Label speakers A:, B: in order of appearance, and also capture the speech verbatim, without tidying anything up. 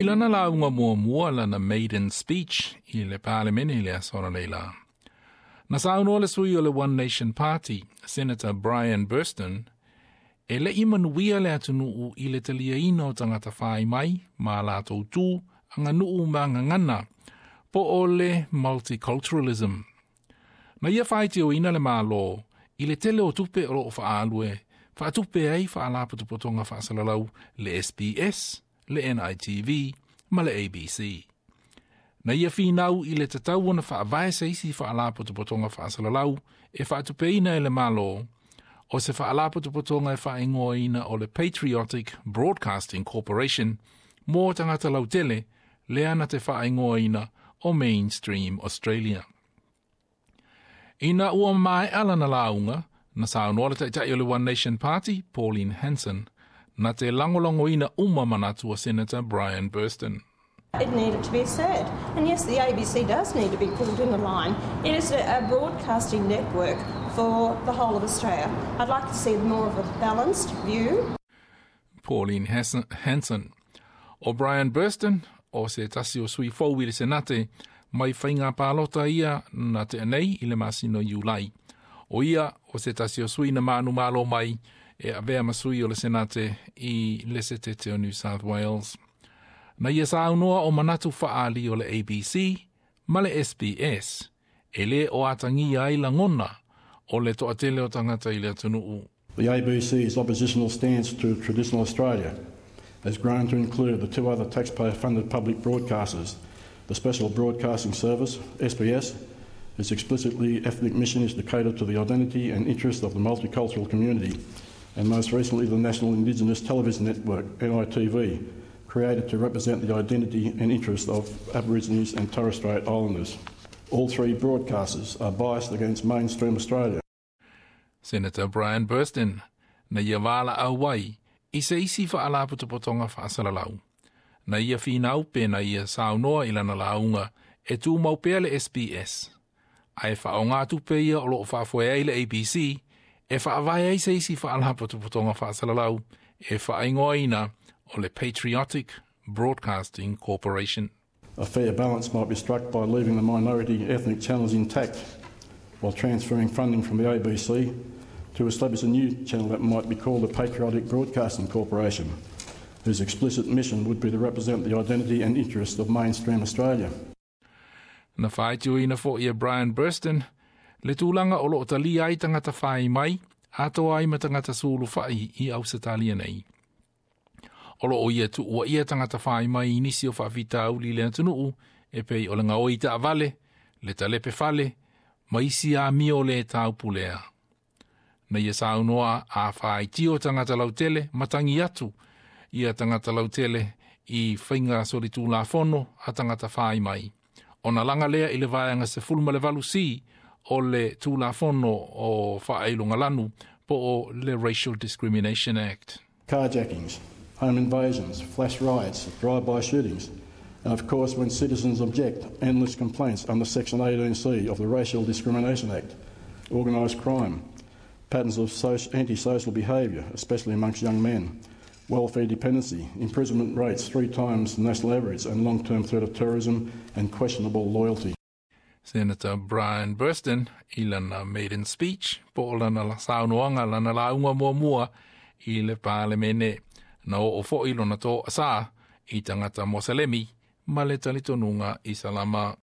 A: I lana lauga muamua lana maiden speech i le Palemene i le aso analeila. Na saunoa le sui o le One Nation Party, Senator Brian Burston, e le'i manuia le atunuu i le taliaina o tagata fai mai ma latou tu, aganuu ma gagana, po o le multiculturalism. Na ia faitioina le Malo i le tele o tupe o loo faaalu e faatupe ai faalapotopotoga faasalalau le S B S, le N I T V ma le A B C. Na ia finau i le tatau ona faavae se isi faalapotopotoga faasalalau e faatupeina e le Malo, o se faalapotopotoga e faaigoaina o le Patriotic Broadcasting Corporation mo tagata lautele lea na te faaigoaina o Mainstream Australia. Ina ua maea lana lauga, na saunoa le taitai o le One Nation Party, Pauline Hanson, na te lagolagoina uma manatu o Senator Brian Burston.
B: It needed to be said. And yes, the A B C does need to be pulled in the line. It is a, a broadcasting network for the whole of Australia. I'd like to see more of a balanced view.
A: Pauline Hanson. O Brian Burston, o se tasi o sui fou i le Senate, mai faiga palota ia na tea nei i le masina Iulai. O ia o se tasi o sui na manumalo mai e avea ma sui o le Senate i le setete o New South Wales. Na ia saunoa o manatu faaali o le A B C ma le S B S, e le o atagia ai lagona o le toatele o tagata i le atunuu.
C: The A B C's oppositional stance to traditional Australia has grown to include the two other taxpayer-funded public broadcasters, the Special Broadcasting Service, S B S, whose explicitly ethnic mission is to cater to the identity and interests of the multicultural community, and most recently the National Indigenous Television Network, N I T V, created to represent the identity and interests of Aborigines and Torres Strait Islanders. All three broadcasters are biased against mainstream Australia.
A: Senator Brian Burston na ia valaau ai i se isi faalapotopotoga faasalalau. Na ia finau pe na ia saunoa i lana lauga e tumau pea le S B S. Ae faaaoga tupe ia o loo faafoe ai le A B C e faavae ai se isi faalapotopotoga faasalalau e faaigoaina o le Patriotic Broadcasting Corporation.
C: A fair balance might be struck by leaving the minority ethnic channels intact while transferring funding from the A B C to establish a new channel that might be called the Patriotic Broadcasting Corporation, whose explicit mission would be to represent the identity and interests of mainstream Australia.
A: Na faitioina fo'i e Brian Burston le tulaga o loo talia ai tagata fai mai, atoa ai ma tagata sulufai i Ausetalia nei. O loo ia tuuaia tagata fai mai i nisi o faafitauli i le atunuu e pei o le gaoi taavale, le talepe fale, ma isi amio le taupulea. Na ia saunoa a faitio tagata lautele, matagi atu ia tagata lautele i faiga solitulafono a tagata fai mai. Ona laga lea i le vaega sefulu ma le valu C o le tulafono o faailogalanu po o le Racial Discrimination Act.
C: Carjackings, home invasions, flash riots, drive-by shootings, and of course when citizens object, endless complaints under Section eighteen C of the Racial Discrimination Act, organised crime, patterns of social, antisocial behaviour, especially amongst young men, welfare dependency, imprisonment rates three times the national average, and long-term threat of terrorism and questionable loyalty.
A: Senator Brian Burston i lana maiden speech po o lana saunoaga lana lauga muamua i le Palemene na oo fo'i lona to'asā i tagata Moselemi ma le talitonuga Isalama.